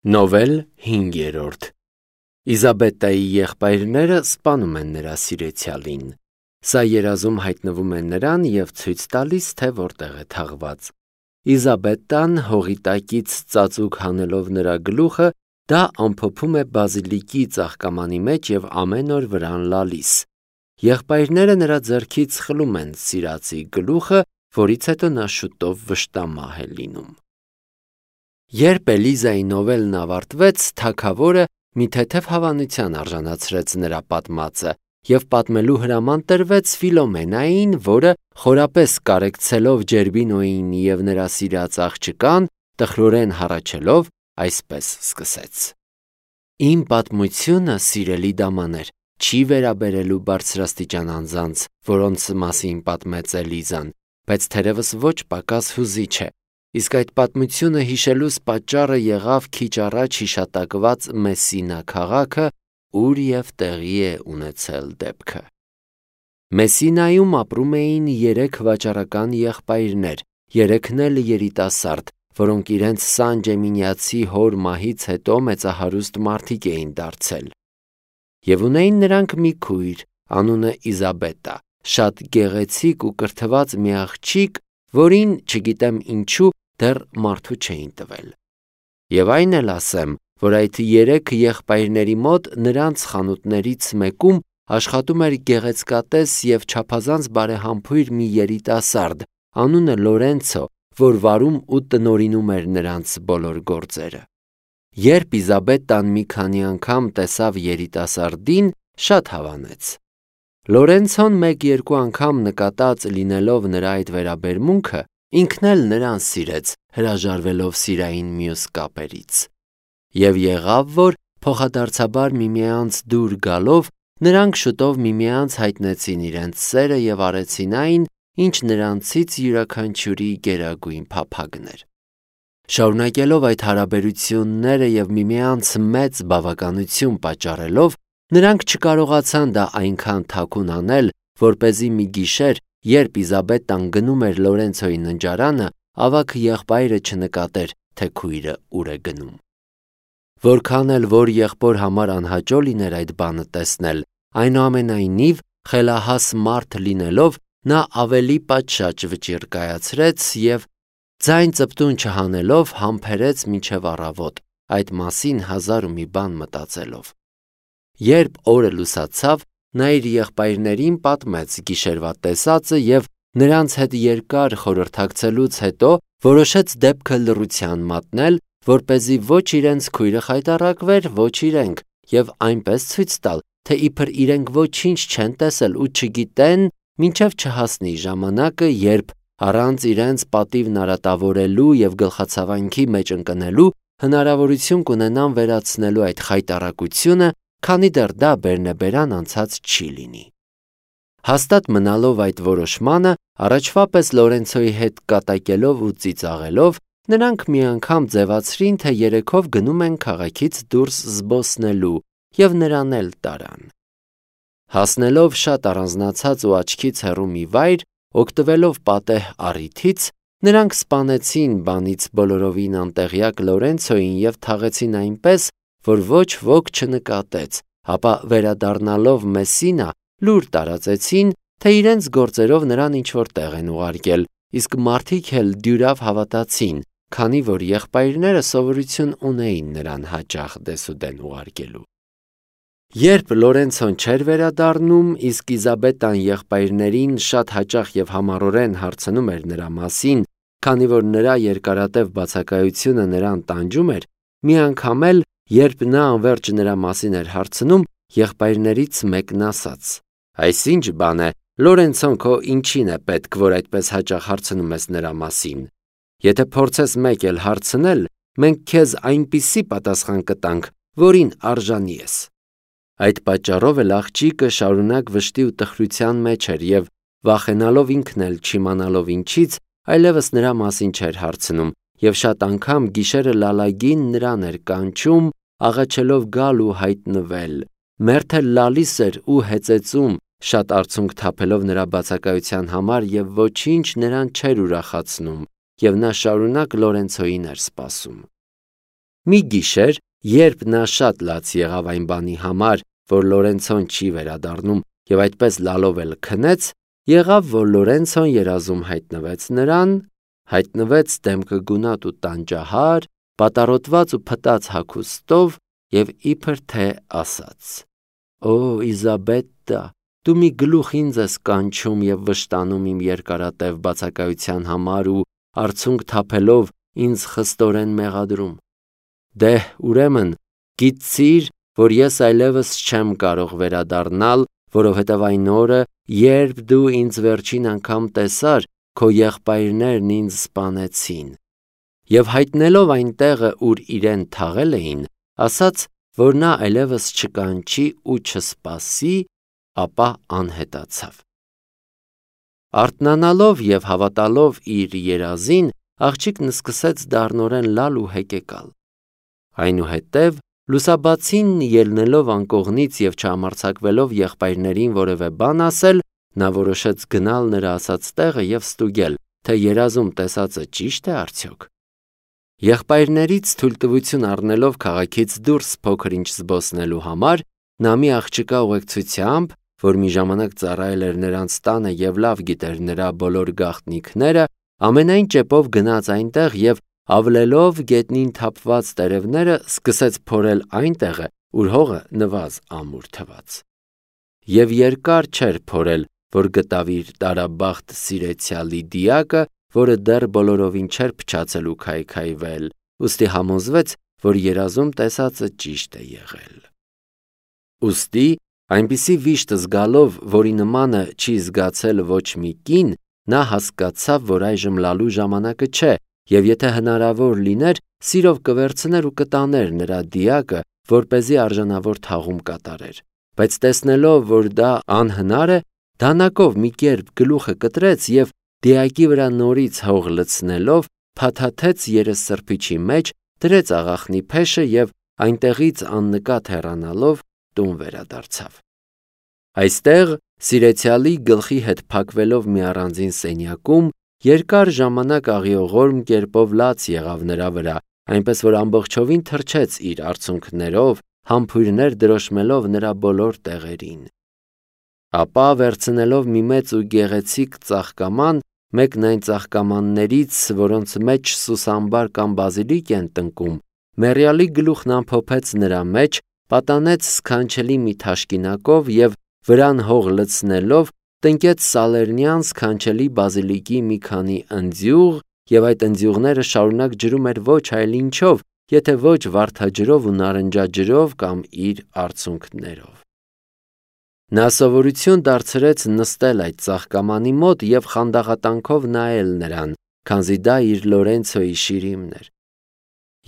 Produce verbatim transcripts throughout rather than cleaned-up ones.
Նովել հինգերորդ Իզաբետայի եղբայրները սպանում են նրա սիրեցյալին։ Սա երազում հայտնվում է նրան և ցույց տալիս, թե որտեղ է թաղված։ Իզաբետան հողի տակից ծածուկ հանելով նրա գլուխը, դա ամփոփում է բազիլիկի ծաղկամանի մեջ և ամեն օր վրան լալիս։ Եղբայրները նրա ձեռքից խլում են սիրածի գլուխը, որից հետո նա շուտով վշտամահ է լինում։ Երբ Էլիզայի նովելն ավարտվեց, թագավորը մի թեթև հավանության արժանացրեց նրա պատմածը և պատմելու հրաման տրվեց Ֆիլոմենային, որը խորապես կարեկցելով Ջերբինոյին և նրա սիրած աղջկան, տխրորեն հառաչելով, այսպես սկսեց. Իմ պատմությունը, սիրելի դամաներ, չի վերաբերելու բարձրաստիճան անձանց, որոնց մասին պատմեց Էլիզան, բայց թերևս ոչ պակաս հուզիչ է։ Իսկ այդ պատմությունը հիշելուս պատճառը եղավ քիչ առաջ հիշատակված Մեսսինա քաղաքը, ուր և տեղի է ունեցել դեպքը։ Մեսսինայում ապրում էին երեք վաճառական եղբայրներ, երեքն էլ երիտասարդ, որոնք իրենց Սան-Ջեմինիացի հոր մահից հետո մեծահարուստ մարդիկ էին դարձել։ Եվ ունեին նրանք մի քույր, անունը Իզաբետա, շատ գեղեցիկ ու կրթված մի աղջիկ, որին, չգիտեմ ինչու, դեռ մարդու չէին տվել։ Եվ այն էլ ասեմ, որ այդ երեք եղբայրների մոտ նրանց խանութներից մեկում աշխատում էր գեղեցկատես և չափազանց բարեհամբույր մի երիտասարդ, անունը Լորենցո, որ վարում ու տնօրինում էր նրանց բոլոր գործերը։ Երբ Իզաբետան մի քանի անգամ տեսավ երիտասարդին, շատ հավանեց։ Լորենցոն մեկ-երկու անգամ նկատած լինելով նրա այդ վերաբերմունքը, ինքն էլ նրան սիրեց, հրաժարվելով սիրային մյուս կապերից։ Եվ եղավ, որ փոխադարձաբար միմյանց դուր գալով, նրանք շուտով միմյանց հայտնեցին իրենց սերը և արեցին այն, ինչ նրանցից յուրաքանչյուրի գերագույն փափագն էր։ Շարունակելով այդ հարաբերությունները և միմյանց մեծ բավականություն պատճառելով, նրանք չկարողացան դա այնքան թաքուն անել, որպեսզի մի գիշեր, երբ Իզաբետան գնում էր Լորենցոյի ննջարանը, ավագ եղբայրը չնկատեր, թե քույրը ուր է գնում։ Որքան էլ որ եղբոր համար անհաճո լիներ այդ բանը տեսնել, այնուամենայնիվ, խելահաս մարդ լինելով, նա ավելի պատշաճ վճիռ կայացրեց և ձայն ծպտուն չհանելով համբերեց մինչև առավոտ, այդ մասին հազար ու մի բան մտածելով։ Երբ օրը լուսացավ, նա իր եղբայրներին պատմեց գիշերվա տեսածը և նրանց հետ երկար խորհրդակցելուց հետո որոշեց դեպքը լռության մատնել, որպեսզի ոչ իրենց քույրը խայտառակվեր, ոչ իրենք, և այնպես ցույց տալ, թե իբր իրենք ոչինչ չեն տեսել ու չգիտեն, մինչև չհասնի ժամանակը, երբ առանց իրենց պատիվն արատավորելու և գլխացավանքի մեջ ընկնելու հնարավորություն կունենան վերացնելու այդ խայտառակությունը, քանի դեռ դա բերնեբերան անցած չի լինի։ Հաստատ մնալով այդ որոշմանը, առաջվա պես Լորենցոյի հետ կատակելով ու ծիծաղելով, նրանք մի անգամ ձևացրին, թե երեքով գնում են քաղաքից դուրս զբոսնելու և նրան էլ տարան։ Հասնելով շատ առանձնացած ու աչքից հեռու մի վայր, օգտվելով պատեհ առիթից, նրանք սպանեցին բանից բոլորովին անտեղյակ Լորենցոյին և թաղեցին այնպես, որ ոչ ոք չնկատեց, ապա վերադառնալով Մեսսինա, լուր տարածեցին, թե իրենց գործերով նրան ինչ-որ տեղ են ուղարկել, իսկ մարդիկ էլ դյուրավ հավատացին, քանի որ եղբայրները սովորություն ունեին նրան հաճախ դեսուդեն ուղարկելու։ Երբ Լորենցոն չէր վերադառնում, իսկ Իզաբետան եղբայրներին շատ հաճախ և համառորեն հարցնում էր նրա մասին, քանի որ նրա երկարատև բացակայությունը նրան տանջում էր, մի անգամ էլ, երբ նա անվերջ նրա մասին էր հարցնում, եղբայրներից մեկն ասաց. «Այս ի՞նչ բան է, Լորենցոն քո ինչին է պետք, որ այդպես հաճախ հարցնում ես նրա մասին։ Եթե փորձես մեկ էլ հարցնել, մենք քեզ այնպիսի պատասխան կտանք, որին արժանի ես»։ Այդ պատճառով էլ աղջիկը շարունակ վշտի ու տխրության մեջ էր և, վախենալով ինքն էլ չիմանալով ինչից, այլևս նրա մասին չէր հարցնում և շատ անգամ գիշերը լալագին նրան էր կանչում, աղաչելով գալ ու հայտնվել, մերթ էլ լալիս էր ու հեծեծում, շատ արցունք թափելով նրա բացակայության համար և ոչինչ նրան չէր ուրախացնում, և նա շարունակ Լորենցոյին էր սպասում։ Մի գիշեր, երբ նա շատ լաց եղավ այն բանի համար, որ Լորենցոն չի վերադառնում եւ այդպես լալով էլ քնեց, եղավ, որ Լորենցոն երազում հայտնվեց նրան, հայտնվեց դեմքը գունատ ու տանջահար, պատառոտված ու փտած հագուստով եւ իբր թե ասաց. «Օ, Իզաբետտա, դու մի գլուխ ինձ ես կանչում եւ վշտանում իմ երկարատև բացակայության համար ու արցունք թափելով ինձ խստորեն մեղադրում։ Դե, ուրեմն, գիտցիր, որ ես այլևս չեմ կարող վերադառնալ, որովհետև այն օրը, երբ դու ինձ վերջին անգամ տեսար, քո եղբայրներն ինձ սպանեցին»։ Եվ հայտնելով այն տեղը, ուր իրեն թաղել էին, ասաց, որ նա այլևս չկանչի ու չսպասի, ապա անհետացավ։ Արթնանալով եւ հավատալով իր երազին, աղջիկն սկսեց դառնորեն լալ ու հեկեկալ։ Այնուհետև լուսաբացին ելնելով անկողնից եւ չհամարձակվելով եղբայրներին որևէ բան ասել, նա որոշեց գնալ նրա ասած տեղը եւ ստուգել, թե երազում տեսածը ճիշտ է արդյոք։ Եղբայրներից թույլտվություն առնելով քաղաքից դուրս փոքր-ինչ զբոսնելու համար, նա մի աղջկա ուղեկցությամբ, որ մի ժամանակ ծառայել էր նրանց տանը եւ լավ գիտեր նրա բոլոր գաղտնիքները, ամենայն ճեպով գնաց այնտեղ եւ ավլելով գետնին թափված տերևները, սկսեց փորել այն տեղը, ուր հողը նվազ ամուր թվաց։ Եվ երկար չէր փորել, որ գտավ իր տարաբախտ սիրեցյալի դիակը, որը դեռ բոլորովին չէր փչացել ու քայքայվել, ուստի համոզվեց, որ երազում տեսածը ճիշտ է եղել։ Ուստի այնպիսի վիշտ զգալով, որի նմանը չի զգացել ոչ մի կին, նա հասկացավ, որ այժմ լալու ժամանակը չէ, եւ եթե հնարավոր լիներ, սիրով կվերցներ ու կտաներ նրա դիակը, որպեսզի արժանավոր թաղում կատարեր։ Բայց տեսնելով, որ դա անհնար է, դանակով մի կերպ գլուխը կտրեց եւ դիակի վրա նորից հող լցնելով, փաթաթեց երեսսրբիչի մեջ, դրեց աղախնի փեշը եւ այնտեղից աննկատ հեռանալով տուն վերադարձավ։ Այստեղ սիրեցյալի գլխի հետ փակվելով մի առանձին սենյակում, երկար ժամանակ աղիողորմ կերպով լաց եղավ նրա վրա, այնպես որ ամբողջովին թրջեց իր արցունքներով, համբույրներ դրոշմելով նրա բոլոր տեղերին։ Ապա վերցնելով մի մեծ ու գեղեցիկ ծաղկաման, մեկն այն ծաղկամաններից, որոնց մեջ սուսամբար կամ բազիլիկ են տնկում, մեռյալի գլուխն ամփոփեց նրա մեջ, պատանեց սքանչելի մի թաշկինակով եւ վրան հող լցնելով տնկեց սալերնյան սքանչելի բազիլիկի մի քանի ընձյուղ եւ այդ ընձյուղները շարունակ ջրում էր ոչ այլ ինչով, եթե ոչ վարդաջրով ու նարնջաջրով կամ իր արցունքներով։ Նա սովորություն դարձրեց նստել այդ ծաղկամանի մոտ եւ խանդաղատանքով նայել նրան, քանզի դա իր Լորենցոյի շիրիմն էր։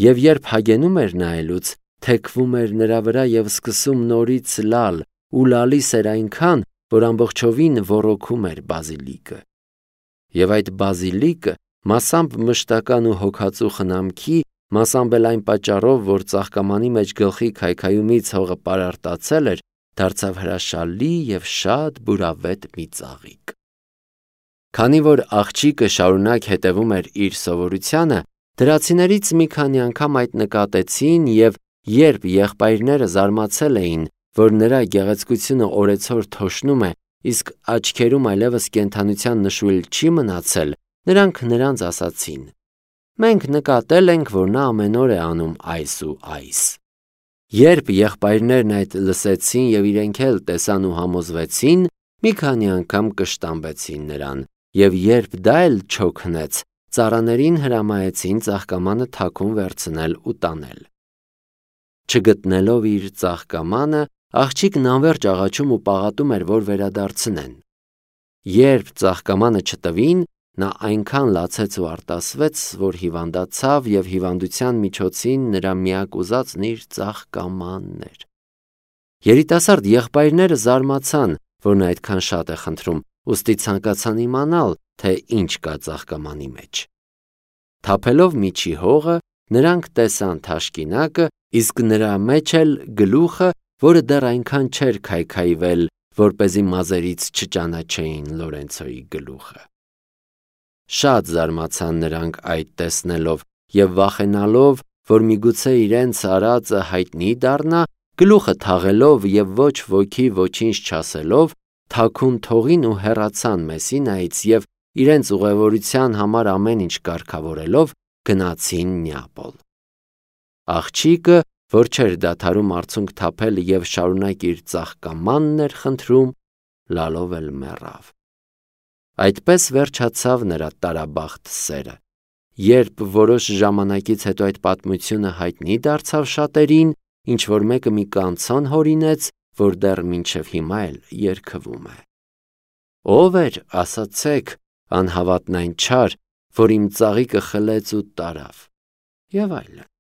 Եվ երբ հագենում էր նայելուց, թեքվում էր նրա վրա եւ սկսում նորից լալ, ու լալիս էր այնքան, որ ամբողջովին ոռոգում էր բազիլիկը։ Եվ այդ բազիլիկը, մասամբ մշտական ու հոգածու խնամքի, մասամբ էլ այն պատճառով, որ ծաղկամանի մեջ գլխի քայքայումից հողը պարարտացել էր, դարձավ հրաշալի եւ շատ բուրավետ մի ծաղիկ։ Քանի որ աղջիկը շարունակ հետևում էր իր սովորությանը, դրացիներից մի քանի անգամ այդ նկատեցին եւ երբ եղբայրները զարմացել էին, որ նրա գեղեցկությունը օրեցօր թոշնում է, իսկ աչքերում այլևս կենդանության նշույլ չի մնացել, նրանք նրանց ասացին. «Մենք նկատել ենք, որ նա ամեն օր է անում այս ու այս»։ Երբ եղբայրներն այդ լսեցին եւ իրենք էլ տեսան ու համոզվեցին, մի քանի անգամ կշտամբեցին նրան, եւ երբ դա էլ չօգնեց, ծառաներին հրամայեցին ծաղկամանը թաքուն վերցնել ու տանել։ Չգտնելով իր ծաղկամանը, աղջիկն անվերջ աղաչում ու պաղատում էր, որ վերադարձնեն։ Երբ ծաղկամանը չտվին, նա այնքան լացեց ու արտասվեց, որ հիվանդացավ եւ հիվանդության միջոցին նրա միակ ուզածն իր ծաղկամանն էր։ Երիտասարդ եղբայրները զարմացան, որ նա այդքան շատ է խնդրում, ուստի ցանկացան իմանալ, թե ինչ կա ծաղկամանի մեջ։ Թափելով միջի հողը, նրանք տեսան թաշկինակը, իսկ նրա մեջ էլ գլուխը, որը դեռ այնքան չէր քայքայվել, որպեսզի մազերից չճանաչեին Լորենցոյի գլուխը։ Շատ զարմացան նրանք այդ տեսնելով եւ վախենալով, որ միգուցե իրենց արածը հայտնի դառնա, գլուխը թաղելով և ոչ ոքի ոչինչ չասելով, թաքուն թողին ու հեռացան Մեսինայից և իրենց ուղևորության համար ամեն ինչ կարգավորելով գնացին Նեապոլ։ Աղջիկը, որ չէր դադարում արցունք թափել և շարունակ իր ծաղկամանն էր խնդրում, լալով էլ մեռավ։ Այդպես վերջացավ նրա տարաբախտ սերը։ Երբ որոշ ժամանակից հետո այդ պատմությունը հայտնի դարձավ շատերին, ինչ-որ մեկը մի կանցոն հորինեց, որ դեռ մինչև հիմա էլ երգվում է. «Ո՞վ էր, ասացեք, անհավատն այն չար, որ իմ ծաղիկը խլեց ու տարավ» և այլն։